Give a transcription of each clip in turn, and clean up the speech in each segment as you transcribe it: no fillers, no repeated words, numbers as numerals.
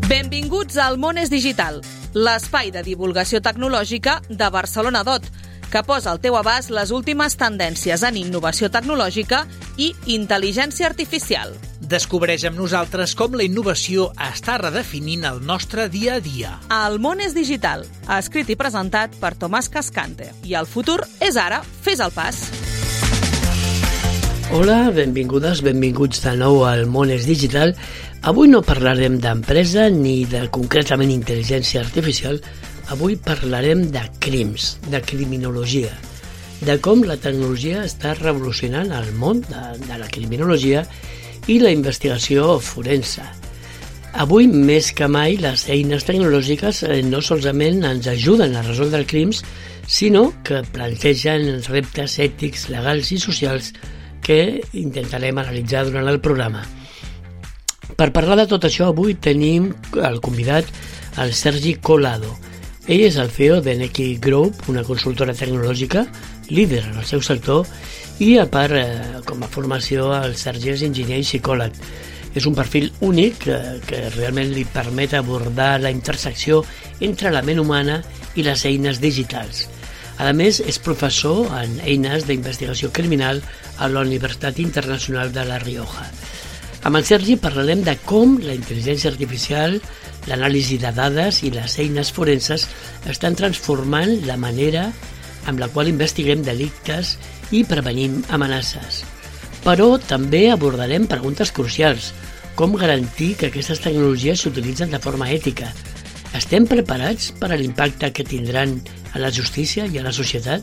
Benvinguts al Món és Digital, l'espai de divulgació tecnològica de Barcelona DOT, que posa al teu abast les últimes tendències en innovació tecnològica i intel·ligència artificial. Descobreix amb nosaltres com la innovació està redefinint el nostre dia a dia. El Món és Digital, escrit i presentat per Tomàs Cascante. I el futur és ara, fes el pas. Hola, benvingudes, benvinguts de nou al Món és Digital. Avui no parlarem d'empresa ni de concretament intel·ligència artificial. Avui parlarem de crims, de criminologia, de com la tecnologia està revolucionant el món de la criminologia i la investigació forense. Avui, més que mai, les eines tecnològiques no solament ens ajuden a resoldre crims, sinó que plantegen reptes ètics, legals i socials que intentarem analitzar durant el programa. Per parlar de tot això, avui tenim el convidat, el Sergi Collado. Ell és el CEO de Neki Group, una consultora tecnològica, líder en el seu sector, i a part, com a formació, el Sergi és enginyer i psicòleg. És un perfil únic que realment li permet abordar la intersecció entre la ment humana i les eines digitals. A més, és professor en eines d'investigació criminal a la Universitat Internacional de La Rioja. Amb el Sergi parlarem de com la intel·ligència artificial, l'anàlisi de dades i les eines forenses estan transformant la manera amb la qual investiguem delictes i prevenim amenaces. Però també abordarem preguntes crucials. Com garantir que aquestes tecnologies s'utilitzen de forma ètica? Estem preparats per a l'impacte que tindran a la justícia i a la societat?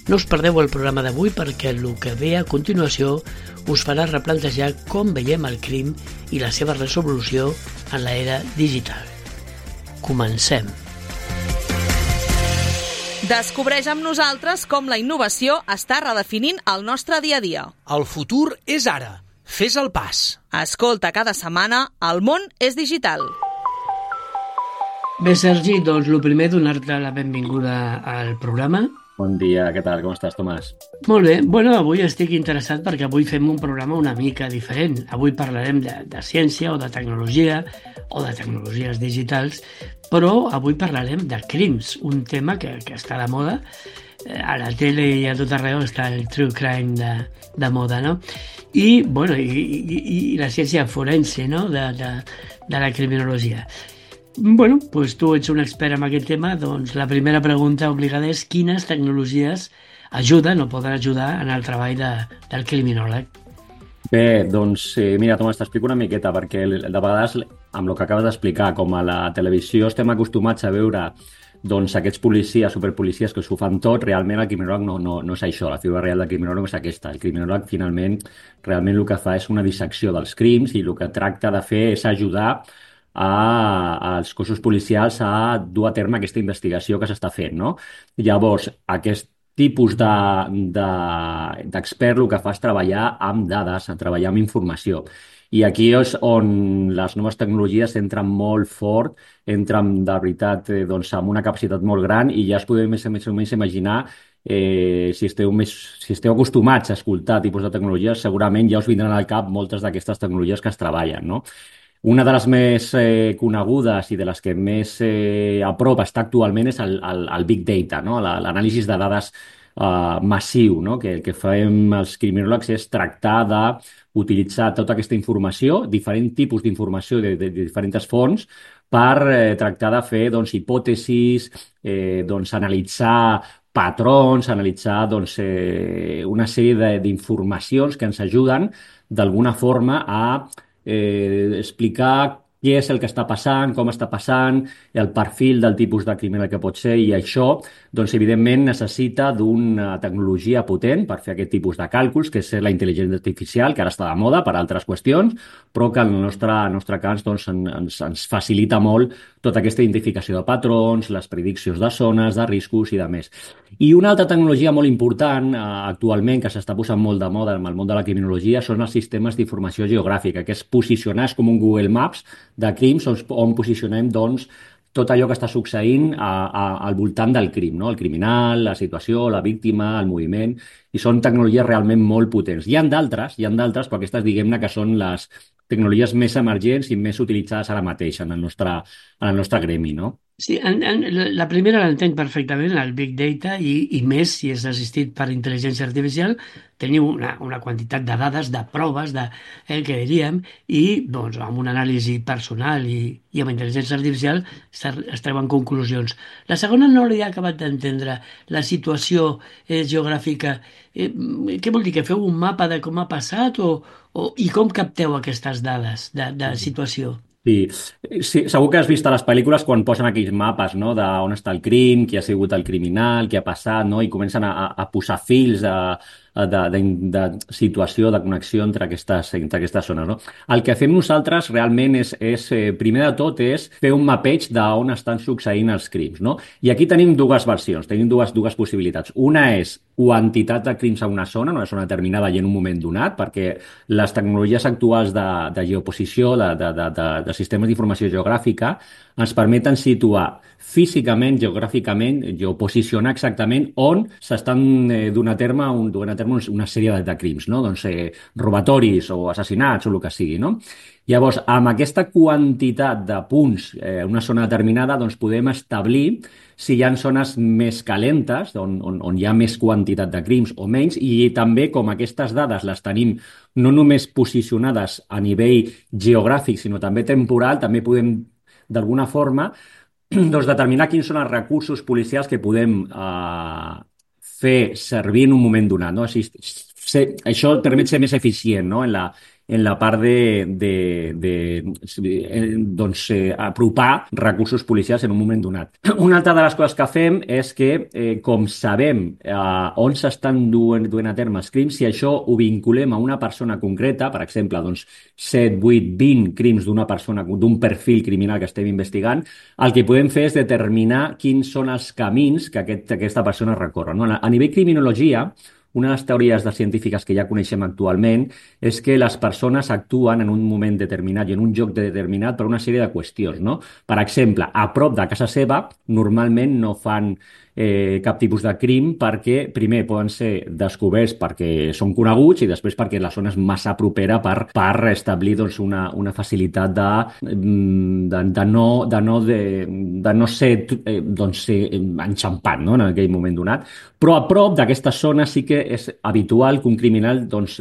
No us perdeu el programa d'avui perquè el que ve a continuació us farà replantejar com veiem el crim i la seva resolució en l'era digital. Comencem. Descobreix amb nosaltres com la innovació està redefinint el nostre dia a dia. El futur és ara. Fes el pas. Escolta cada setmana El Món és Digital. Bé, Sergi, doncs el primer donar-te la benvinguda al programa. Bon dia, què tal? Com estàs, Tomàs? Molt bé. Bueno, avui estic interessat perquè avui fem un programa una mica diferent. Avui parlarem de ciència o de tecnologia o de tecnologies digitals, però avui parlarem de crims, un tema que està de moda. A la tele i a tot arreu està el true crime de moda, no? I, bueno, i la ciència forense, no?, de la criminologia. Bueno, doncs tu ets un expert en aquest tema, doncs la primera pregunta obligada és quines tecnologies ajuden o poden ajudar en el treball del criminòleg? Bé, doncs mira, Tomàs, t'explico una miqueta, perquè de vegades, amb el que acabes d'explicar, com a la televisió estem acostumats a veure doncs aquests policies, superpolicies que s'ho fan tot, realment el criminòleg no és això, la figura real del criminòleg és aquesta. El criminòleg finalment realment el que fa és una dissecció dels crims i el que tracta de fer és ajudar als cossos policials a dur a terme aquesta investigació que s'està fent, no? Llavors, aquest tipus d'expert el que fa és treballar amb dades, treballar amb informació. I aquí és on les noves tecnologies entren molt fort, entren de veritat amb una capacitat molt gran i ja es podeu més o menys imaginar si esteu acostumats a escoltar tipus de tecnologies, segurament ja us vindran al cap moltes d'aquestes tecnologies que es treballen, no? Una de les més conegudes i de les que més a prop està actualment és el Big Data, no? L'anàlisi de dades massiu, no? Que el que fem els criminòlegs és tractar d'utilitzar tota aquesta informació, diferents tipus d'informació de diferents fonts, per tractar de fer hipòtesis, analitzar patrons, analitzar una sèrie d'informacions que ens ajuden d'alguna forma a explicar què és el que està passant, com està passant, el perfil del tipus de criminal que pot ser, i això, evidentment, necessita d'una tecnologia potent per fer aquest tipus de càlculs, que és la intel·ligència artificial, que ara està de moda per altres qüestions, però que en el nostre cas ens facilita molt tota aquesta identificació de patrons, les prediccions de zones, de riscos i de més. I una altra tecnologia molt important actualment que s'està posant molt de moda en el món de la criminologia són els sistemes d'informació geogràfica, que és posicionar com un Google Maps de crims on posicionem tot allò que està succeint al voltant del crim, no? El criminal, la situació, la víctima, el moviment, i són tecnologies realment molt potents. Hi ha d'altres, però aquestes diguem-ne que són les tecnologies més emergents i més utilitzades ara mateix en el nostre gremi, no? Sí, la primera l'entenc perfectament, el Big Data, i més si és assistit per intel·ligència artificial, teniu una quantitat de dades, de proves, que diríem, i doncs, amb una anàlisi personal i amb intel·ligència artificial es treuen conclusions. La segona no l'he acabat d'entendre, la situació geogràfica. Què vol dir, que feu un mapa de com ha passat i com capteu aquestes dades de situació? Sí, sí, segur que has vist a les pel·lícules quan posen aquells mapes, no?, d'on està el crim, qui ha sigut el criminal, què ha passat, no?, i comencen a posar fils de situació, de connexió entre aquestes zones, no? El que fem nosaltres realment primer de tot, és fer un mapeig d'on estan succeint els crims, no? I aquí tenim dues versions, tenim dues possibilitats. Una és quantitat de crims a una zona determinada i en un moment donat, perquè les tecnologies actuals de geoposició, de sistemes d'informació geogràfica, ens permeten situar físicament, geogràficament, geoposicionar exactament on s'estan duent a terme una sèrie de crims, no? Doncs robatoris o assassinats o el que sigui, no? Llavors, amb aquesta quantitat de punts en una zona determinada, doncs podem establir si hi ha zones més calentes, on hi ha més quantitat de crims o menys, i també, com aquestes dades les tenim no només posicionades a nivell geogràfic, sinó també temporal, també podem, d'alguna forma, doncs, determinar quins són els recursos policials que podem fer servir en un moment donat, no? Això permet ser més eficient, no?, en la part doncs, apropar recursos policials en un moment donat. Una altra de les coses que fem és que, com sabem on s'estan duent a terme els crims, si això ho vinculem a una persona concreta, per exemple, doncs 7, 8, 20 crims d'una persona, d'un perfil criminal que estem investigant, el que podem fer és determinar quins són els camins que aquesta persona recorre, no? A nivell criminologia, una de les teories científiques que ja coneixem actualment és que les persones actuen en un moment determinat i en un lloc determinat per una sèrie de qüestions, no? Per exemple, a prop de casa seva normalment no fan cap tipus de crim perquè, primer, poden ser descoberts perquè són coneguts i després perquè la zona és massa propera per establir, doncs, una facilitat de no ser doncs, enxampat, no?, en aquell moment donat. Però a prop d'aquesta zona sí que és habitual que un criminal, doncs,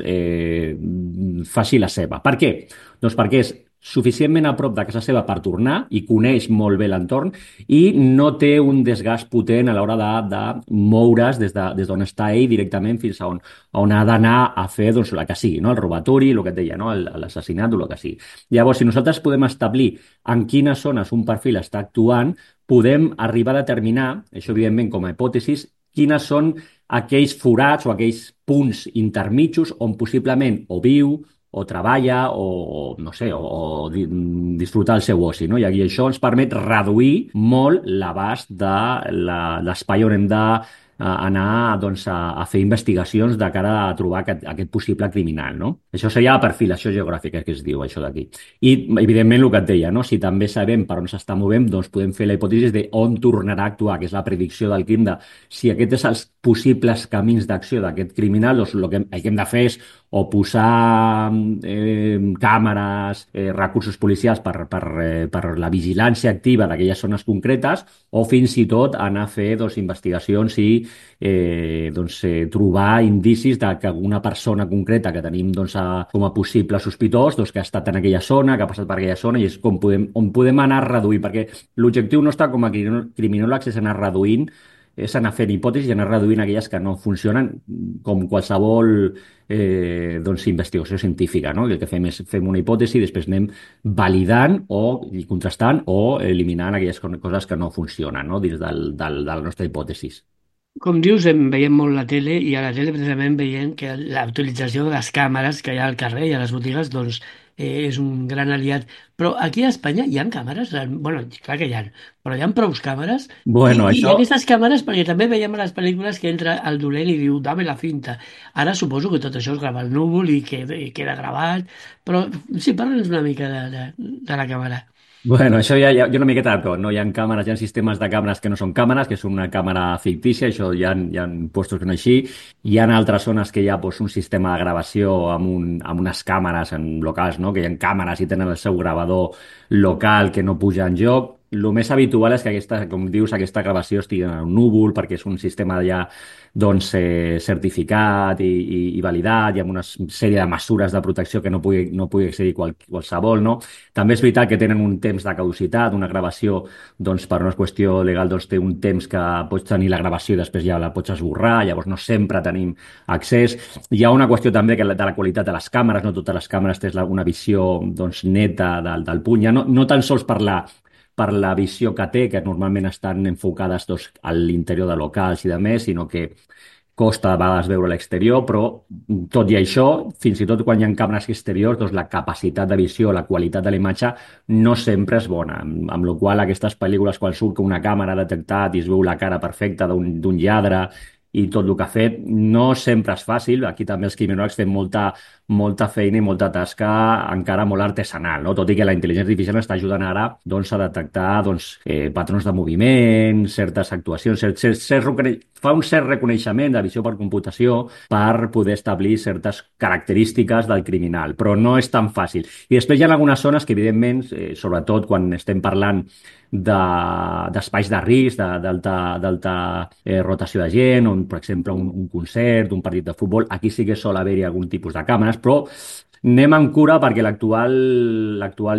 faci la seva. Per què? Doncs perquè és suficientment a prop de casa seva per tornar i coneix molt bé l'entorn i no té un desgast potent a l'hora de moure's des d'on està ell directament fins a on ha d'anar a fer, doncs, el que sigui, no?, el robatori, el que et deia, no?, l'assassinat o el que sigui. Llavors, si nosaltres podem establir en quines zones un perfil està actuant, podem arribar a determinar, això evidentment com a hipòtesis, quines són aquells forats o aquells punts intermitjos on possiblement o viu, o treballa, o no sé, o disfrutar el seu oci, no? I això ens permet reduir molt l'abast de l'espai on hem d'anar, doncs, a fer investigacions de cara a trobar aquest possible criminal, no? Això seria la perfilació geogràfica que es diu, això d'aquí. I, evidentment, el que et deia, no?, si també sabem per on s'està movent, doncs podem fer la hipòtesi de on tornarà a actuar, que és la predicció del crim, de si aquest és els possibles camins d'acció d'aquest criminal, doncs el que hem de fer és o posar càmeres, recursos policials per la vigilància activa d'aquelles zones concretes, o fins i tot anar a fer, doncs, investigacions i trobar indicis de que alguna persona concreta que tenim, doncs, com a possible sospitós, doncs, que ha estat en aquella zona, que ha passat per aquella zona, i és on podem anar a reduir, perquè l'objectiu nostre com a criminòlegs és anar reduint, és anar fent hipòtesis i anar reduint aquelles que no funcionen, com qualsevol doncs, investigació científica, no? El que fem és fem una hipòtesi i després anem validant o contrastant o eliminant aquelles coses que no funcionen, no?, dins de la nostra hipòtesi. Com dius, veiem molt la tele, i a la tele precisament veiem que la utilització de les càmeres que hi ha al carrer i a les botigues, doncs, és un gran aliat. Però aquí a Espanya hi ha càmeres? Bueno, clar que hi ha, però hi ha prou càmeres? Bueno, I aquestes càmeres, perquè també veiem a les pel·lícules que entra el dolent i diu, dame la finta. Ara suposo que tot això es grava al núvol i queda gravat, però sí, parla'ns una mica de la càmera. Bueno, això hi ha una miqueta de tot, no? Hi ha càmeres, hi ha sistemes de càmeres que no són càmeres, que són una càmera fictícia, això hi ha puestos que no així. Hi ha altres zones que hi ha doncs, un sistema de gravació amb unes càmeres en locals, no? Que hi ha càmeres i tenen el seu gravador local que no puja en joc. El més habitual és que com dius, aquesta gravació estigui en un núvol, perquè és un sistema ja doncs, certificat i validat i amb una sèrie de mesures de protecció que no pugui accedir qualsevol, no? També és veritat que tenen un temps de caducitat, una gravació, doncs, per una qüestió legal, doncs, té un temps que pots tenir la gravació i després ja la pots esborrar, llavors no sempre tenim accés. Hi ha una qüestió també de la qualitat de les càmeres, no totes les càmeres tens una visió doncs, neta del puny, ja no tan sols per la visió que té, que normalment estan enfocades doncs, a l'interior de locals i de més, sinó que costa a vegades veure l'exterior, però tot i això, fins i tot quan hi ha càmeres exteriors, doncs la capacitat de visió, la qualitat de la imatge no sempre és bona, amb la qual aquestes pel·lícules, quan surt que una càmera ha detectat i es veu la cara perfecta d'un lladre i tot el que ha fet, no sempre és fàcil. Aquí també els criminòlegs fem molta feina i molta tasca encara molt artesanal, no? Tot i que la intel·ligència artificial està ajudant ara doncs, a detectar doncs, patrons de moviment, certes actuacions, fa un cert reconeixement de visió per computació per poder establir certes característiques del criminal, però no és tan fàcil. I després hi ha algunes zones que, evidentment, sobretot quan estem parlant d'espais de risc, d'alta rotació de gent, on, per exemple, un concert, un partit de futbol, aquí sí que sol haver-hi algun tipus de càmeres, però anem amb cura perquè l'actual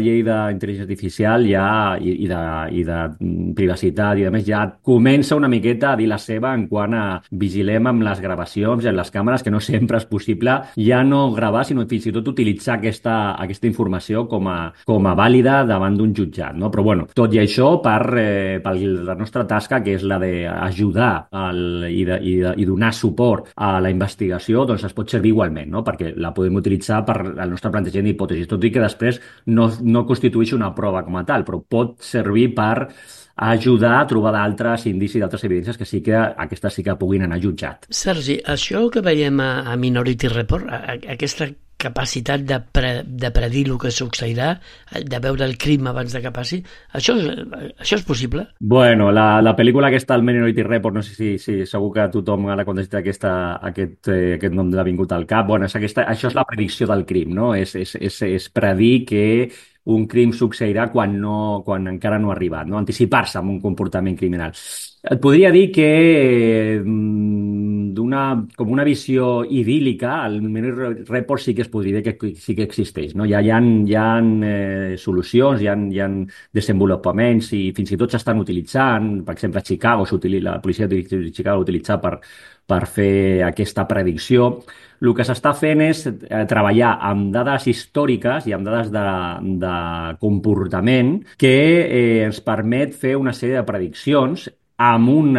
llei d'intel·ligència artificial ja, i de privacitat i de més ja comença una miqueta a dir la seva en quant a vigilem amb les gravacions i amb les càmeres, que no sempre és possible ja no gravar, sinó fins i tot utilitzar aquesta informació com a vàlida davant d'un jutjat, no? Però bueno, tot i això, per la nostra tasca, que és la d'ajudar i donar suport a la investigació, doncs es pot servir igualment, no? Perquè la podem utilitzar per el nostre plantejament d'hipòtesis, tot i que després no constitueix una prova com a tal, però pot servir per ajudar a trobar d'altres indicis, d'altres evidències que sí que aquestes sí que puguin anar a jutjat. Sergi, això que veiem a Minority Report, aquesta capacitat de predir el que succeirà, de veure el crim abans de que passi, això és possible? Bueno, la pel·lícula aquesta, el Minority Report, no sé si segur que tothom ara quan ha dit aquest nom l'ha vingut al cap. Bueno, això és la predicció del crim, no? És predir que un crim succeirà quan encara no ha arribat, no? Anticipar-se en un comportament criminal. Et podria dir que com una visió idíl·lica, el Minority Report sí que es podria dir que sí que existeix, no? Hi ha solucions, hi ha desenvolupaments i fins i tot s'estan utilitzant. Per exemple, a Chicago, la policia de Chicago l'utilitza per fer aquesta predicció. El que s'està fent és treballar amb dades històriques i amb dades de comportament que ens permet fer una sèrie de prediccions amb un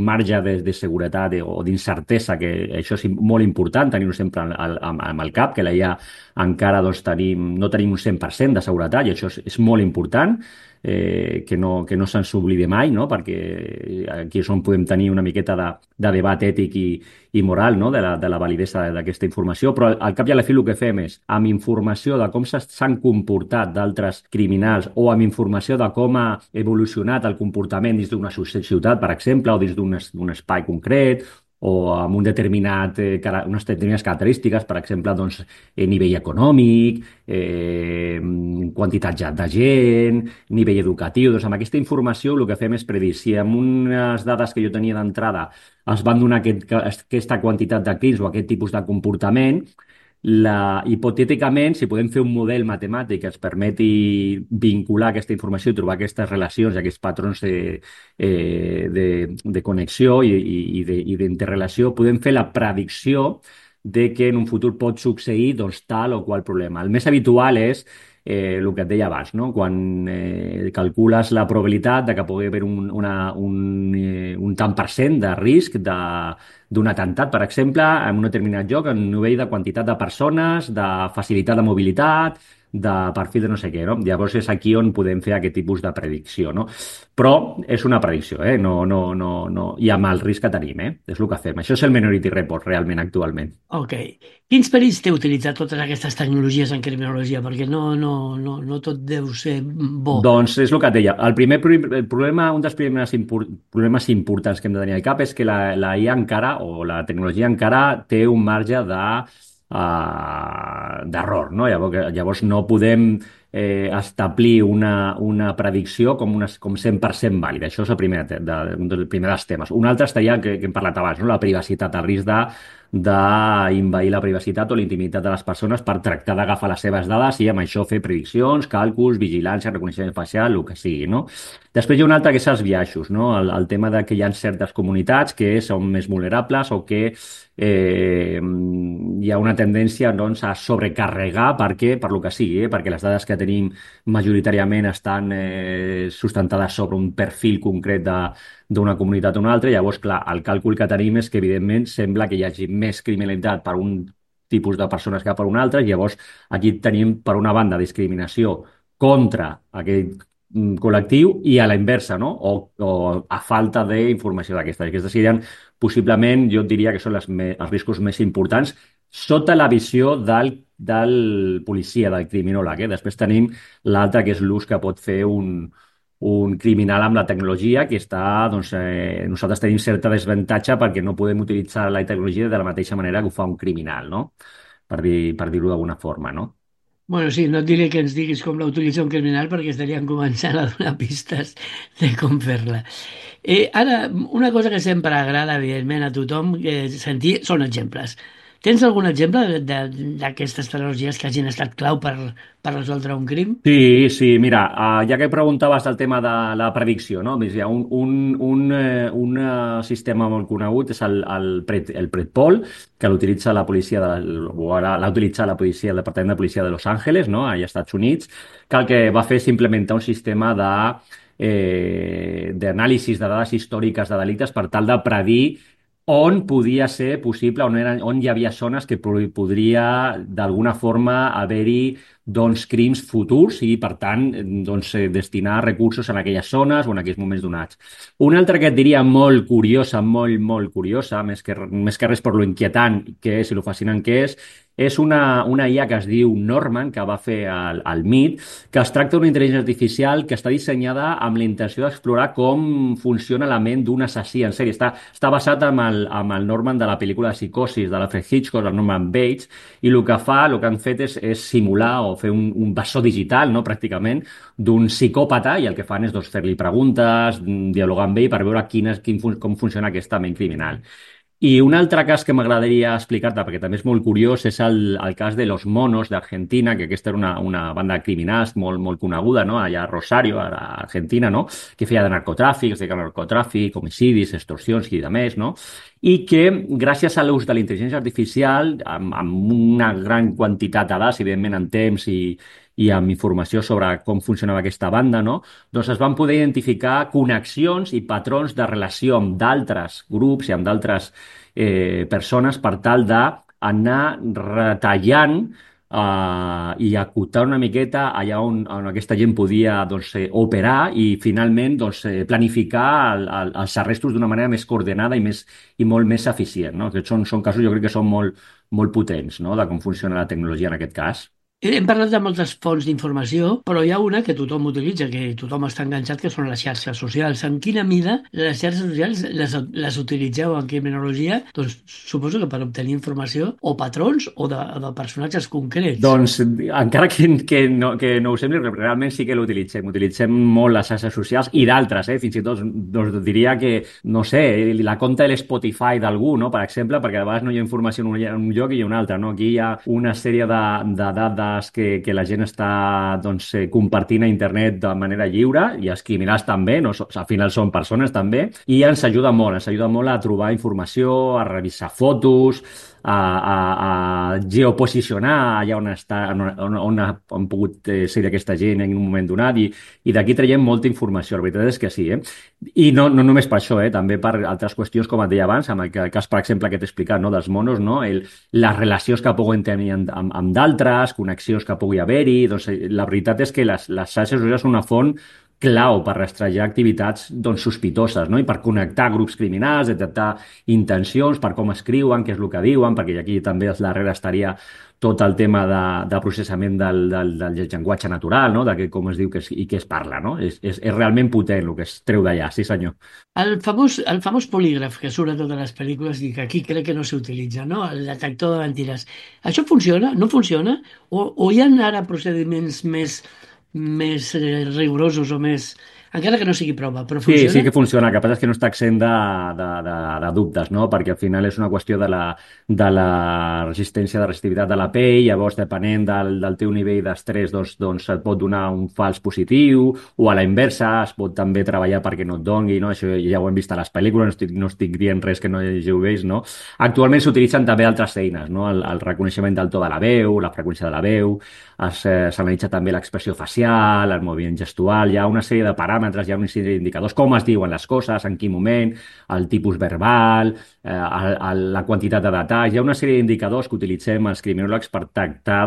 marge de seguretat o d'incertesa, que això és molt important tenir-ho sempre amb el cap, que ja encara doncs, no tenim un 100% de seguretat, i això és molt important, que no se'ns oblidi mai, no? Perquè aquí és on podem tenir una miqueta de debat ètic i moral, no? de la validesa d'aquesta informació, però al cap i a la fi el que fem és, amb informació de com s'han comportat d'altres criminals o amb informació de com ha evolucionat el comportament dins d'una ciutat, per exemple, o dins d'un espai concret, o amb unes determinades característiques, per exemple, doncs, nivell econòmic, quantitat de gent, nivell educatiu. Doncs amb aquesta informació el que fem és predir si amb unes dades que jo tenia d'entrada es van donar aquesta quantitat de crims o aquest tipus de comportament, hipotèticament, si podem fer un model matemàtic que ens permeti vincular aquesta informació i trobar aquestes relacions i aquests patrons de connexió i d'interrelació, podem fer la predicció de que en un futur pot succeir doncs, tal o qual problema. El més habitual és el que et deia abans, no? Quan calcules la probabilitat de que pugui haver un tant per cent de risc d'un atemptat, per exemple, en un determinat lloc, en un nivell de quantitat de persones, de facilitat de mobilitat, de perfil de no sé què, no? Llavors és aquí on podem fer aquest tipus de predicció, no? Però és una predicció, no, i amb el risc que tenim, És el que fem. Això és el Minority Report, realment, actualment. Ok. Quins perills té utilitzar totes aquestes tecnologies en criminologia? Perquè no tot deu ser bo. Doncs és el que et deia. El problema, un dels problemes importants que hem de tenir al cap és que la IA encara, o la tecnologia encara, té un marge d'error, no? Llavors no podem establir una predicció com 100% vàlida. Això és un dels temes. Un altre estaria, que hem parlat abans, no? La privacitat, el risc d'invair la privacitat o la intimitat de les persones per tractar d'agafar les seves dades i amb això fer prediccions, càlculs, vigilància, reconeixement facial, el que sigui, no? Després hi ha un altre que és els biaixos, no? El tema de que hi ha certes comunitats que són més vulnerables o que hi ha una tendència, doncs, a sobrecarregar per lo que sigui, perquè les dades que tenim majoritàriament estan sustentades sobre un perfil concret d'una comunitat o una altra. Llavors, clar, el càlcul que tenim és que, evidentment, sembla que hi hagi més criminalitat per un tipus de persones que per un altre. Llavors, aquí tenim, per una banda, discriminació contra aquell col·lectiu i a la inversa, no? O a falta d'informació d'aquestes. Aquestes serien, possiblement, jo et diria que són els riscos més importants sota la visió del policia, del criminòleg. Després tenim l'altre, que és l'ús que pot fer un criminal amb la tecnologia, que està, doncs, nosaltres tenim certa desavantatge perquè no podem utilitzar la tecnologia de la mateixa manera que ho fa un criminal, no? Per dir-ho d'alguna forma, no? Bueno, sí, no et diré que ens diguis com la utilitza un criminal perquè estaríem començant a donar pistes de com fer-la. Ara, una cosa que sempre agrada, evidentment, a tothom sentir són exemples. Tens algun exemple d'aquestes tecnologies que hagin estat clau per resoldre un crim? Sí, mira, ja que preguntaves del tema de la predicció, no? Hi ha un sistema molt conegut, és el Predpol, que l'utilitza la policia, o ara l'ha utilitzat la policia, el Departament de Policia de Los Angeles, no? Allà als Estats Units, que el que va fer és implementar un sistema d'anàlisi de dades històriques de delictes per tal de predir on podia ser possible, on hi havia zones que podria d'alguna forma haver-hi, doncs, crims futurs i, per tant, doncs, destinar recursos en aquelles zones o en aquells moments donats. Una altra que et diria molt curiosa, molt curiosa, més que res per lo inquietant que és i lo fascinant que és una IA que es diu Norman, que va fer el MIT, que es tracta d'una intel·ligència artificial que està dissenyada amb la intenció d'explorar com funciona la ment d'un assassí en sèrie. Està basat amb el Norman de la pel·lícula de Psicosis, de l'Alfred Hitchcock, el Norman Bates, i el que han fet és simular o fer un bessó digital, no, pràcticament, d'un psicòpata, i el que fan és, doncs, fer-li preguntes, dialogar amb ell per veure com funciona aquesta ment criminal. I un altre cas que m'agradaria explicar-te, perquè també és molt curiós, és el cas de Los Monos d'Argentina, que aquesta era una banda de criminals molt coneguda, no? Allà a Rosario, a Argentina, no? Que feia de narcotràfic, homicidis, extorsions i de més, no? I que, gràcies a l'ús de la intel·ligència artificial, amb una gran quantitat de dades, evidentment en temps i amb informació sobre com funcionava aquesta banda, no? Doncs es van poder identificar connexions i patrons de relació amb d'altres grups i amb d'altres persones per tal d'anar retallant i acotar una miqueta allà on aquesta gent podia, doncs, operar i finalment, doncs, planificar els arrestos d'una manera més coordinada i molt més eficient, no? Aquests són casos, jo crec que són molt potents, no? De com funciona la tecnologia en aquest cas. Hem parlat de moltes fonts d'informació, però hi ha una que tothom utilitza, que tothom està enganxat, que són les xarxes socials. En quina mida les xarxes socials les utilitzeu en criminologia? Doncs suposo que per obtenir informació o patrons o de personatges concrets. Doncs encara que no ho sembli, realment sí que l'utilitzem. Utilitzem molt les xarxes socials i d'altres, fins i tot doncs, diria que, no sé, la compta de l'Spotify d'algú, no? Per exemple, perquè a vegades no hi ha informació en un lloc i hi ha un altre, no? Aquí hi ha una sèrie de dades que la gent està, doncs, compartint a internet de manera lliure, i els criminals també, no? Al final són persones també, i ens ajuda molt a trobar informació, a revisar fotos, a geoposicionar allà on han pogut ser aquesta gent en un moment donat i d'aquí traiem molta informació, la veritat és que sí. I no només per això, també per altres qüestions, com et deia abans, amb el cas, per exemple, que t'he explicat, no, dels monos, no? Les relacions que puguin tenir amb d'altres, connexions que pugui haver-hi. Doncs, la veritat és que les xarxes socials són una font clau per rastrejar activitats sospitoses, no? I per connectar grups criminals, detectar intencions, per com escriuen, què és el que diuen, perquè aquí també darrere estaria tot el tema de processament del llenguatge natural, no? De com es diu i què es parla, no? És realment potent el que es treu d'allà, sí senyor. El famós polígraf que surt a totes les pel·lícules i que aquí crec que no s'utilitza, no? El detector de mentides. Això funciona? No funciona? O hi ha ara procediments més rigorosos o més... Encara que no sigui prova, però funciona? Sí que funciona. El que passa és que no està exempt de dubtes, no? Perquè al final és una qüestió de la resistència, de resistivitat de la pell. Llavors, depenent del teu nivell d'estrès, doncs et pot donar un fals positiu, o a la inversa es pot també treballar perquè no et doni, no? Això ja ho hem vist a les pel·lícules, no estic dient res que no hàgiu vist, no? Actualment s'utilitzen també altres eines, no? El reconeixement del to de la veu, la freqüència de la veu, s'analitza també l'expressió facial, el moviment gestual, hi ha una sèrie de paràmetres, hi ha una sèrie d'indicadors, com es diuen les coses, en quin moment, el tipus verbal, la quantitat de detalls, hi ha una sèrie d'indicadors que utilitzem els criminòlegs per tractar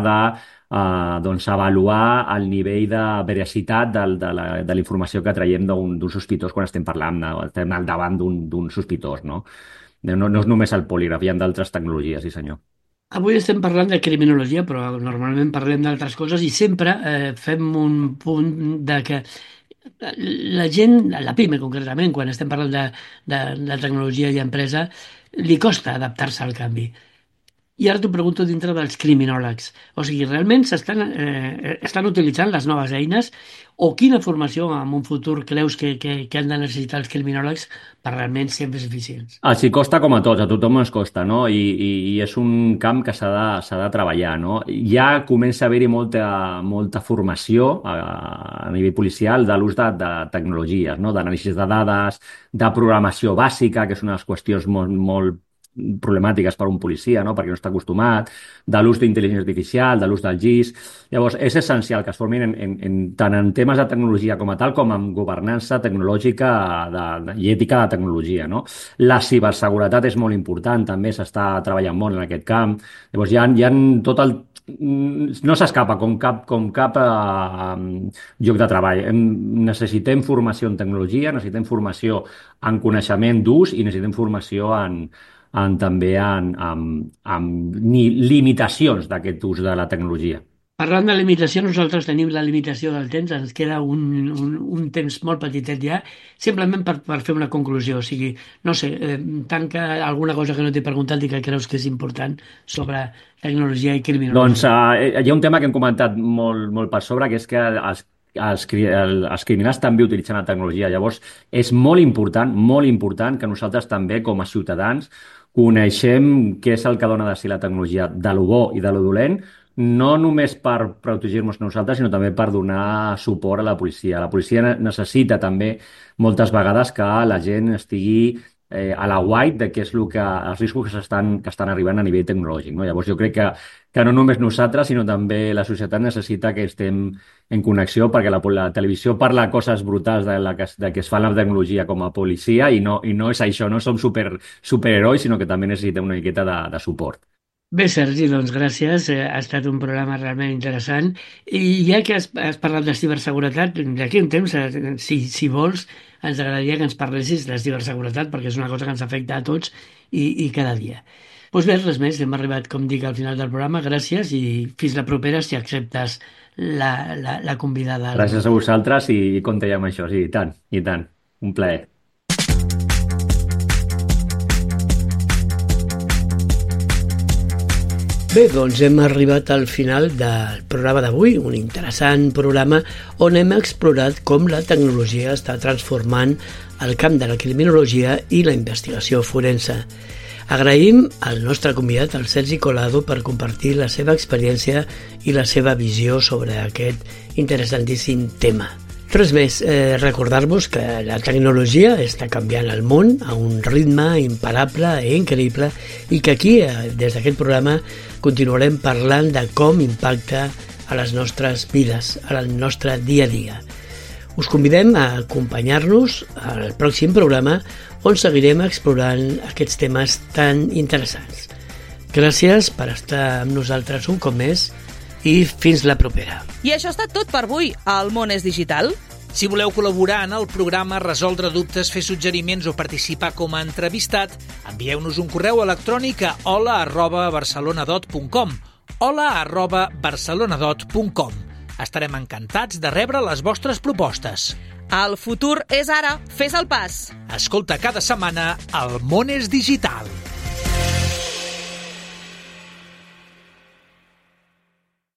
avaluar el nivell de veracitat de la informació que traiem d'un sospitós quan estem parlant, estem al davant d'un sospitós, no? No és només el polígraf, hi ha d'altres tecnologies, sí senyor. Avui estem parlant de criminologia, però normalment parlem d'altres coses i sempre fem un punt de que la gent, la PIME concretament, quan estem parlant de tecnologia i empresa, li costa adaptar-se al canvi. I ara t'ho pregunto dintre dels criminòlegs. O sigui, realment estan utilitzant les noves eines o quina formació en un futur creus que han de necessitar els criminòlegs per realment ser més eficients? Els costa com a tots, a tothom ens costa, no? I és un camp que s'ha de treballar, no? Ja comença a haver-hi molta formació a nivell policial de l'ús de tecnologies, no? D'anàlisi de dades, de programació bàsica, que és una de les qüestions molt problemàtiques per a un policia, no? Perquè no està acostumat, de l'ús d'intel·ligència artificial, de l'ús del GIS. Llavors, és essencial que es formin tant en temes de tecnologia com a tal, com en governança tecnològica i ètica de tecnologia, no? La ciberseguretat és molt important, també s'està treballant molt en aquest camp. Llavors, hi ha tot el... No s'escapa com cap lloc de treball. Necessitem formació en tecnologia, necessitem formació en coneixement d'ús i necessitem formació també amb limitacions d'aquest ús de la tecnologia. Parlant de limitació, nosaltres tenim la limitació del temps, ens queda un temps molt petitet ja, simplement per fer una conclusió. O sigui, no sé, tanca alguna cosa que no t'he preguntat i que creus que és important sobre tecnologia i criminologia. Doncs hi ha un tema que hem comentat molt per sobre, que és que els criminals també utilitzen la tecnologia. Llavors, és molt important que nosaltres també, com a ciutadans, coneixem què és el que dona de si la tecnologia, de lo bo i de lo dolent, no només per protegir-nos nosaltres, sinó també per donar suport a la policia. La policia necessita també moltes vegades que la gent estigui a la guait de què és els riscos que estan arribant a nivell tecnològic, no? Llavors jo crec que no només nosaltres, sinó també la societat necessita que estem en connexió, perquè la televisió parla coses brutals de que es fa la tecnologia com a policia i no és això, no som superherois, sinó que també necessitem una miqueta de suport. Bé, Sergi, doncs gràcies. Ha estat un programa realment interessant. I ja que has parlat de ciberseguretat, d'aquí un temps, si vols, ens agradaria que ens parlessis de ciberseguretat, perquè és una cosa que ens afecta a tots i cada dia. Doncs bé, res més, hem arribat, com dic, al final del programa. Gràcies i fins la propera, si acceptes la convidada. Gràcies a vosaltres i compte ja amb això, sí, i tant. Un plaer. Bé, doncs hem arribat al final del programa d'avui, un interessant programa on hem explorat com la tecnologia està transformant el camp de la criminologia i la investigació forense. Agraïm al nostre convidat, el Sergi Colado, per compartir la seva experiència i la seva visió sobre aquest interessantíssim tema. Res més, recordar-vos que la tecnologia està canviant el món a un ritme imparable i increïble i que aquí, des d'aquest programa, continuarem parlant de com impacta a les nostres vides, al nostre dia a dia. Us convidem a acompanyar-nos al pròxim programa on seguirem explorant aquests temes tan interessants. Gràcies per estar amb nosaltres un cop més i fins la propera. I això ha estat tot per avui. El món és digital. Si voleu col·laborar en el programa, resoldre dubtes, fer suggeriments o participar com a entrevistat, envieu-nos un correu electrònic a hola@barcelonadot.com hola@barcelonadot.com. Estarem encantats de rebre les vostres propostes. El futur és ara. Fes el pas. Escolta cada setmana El món és digital.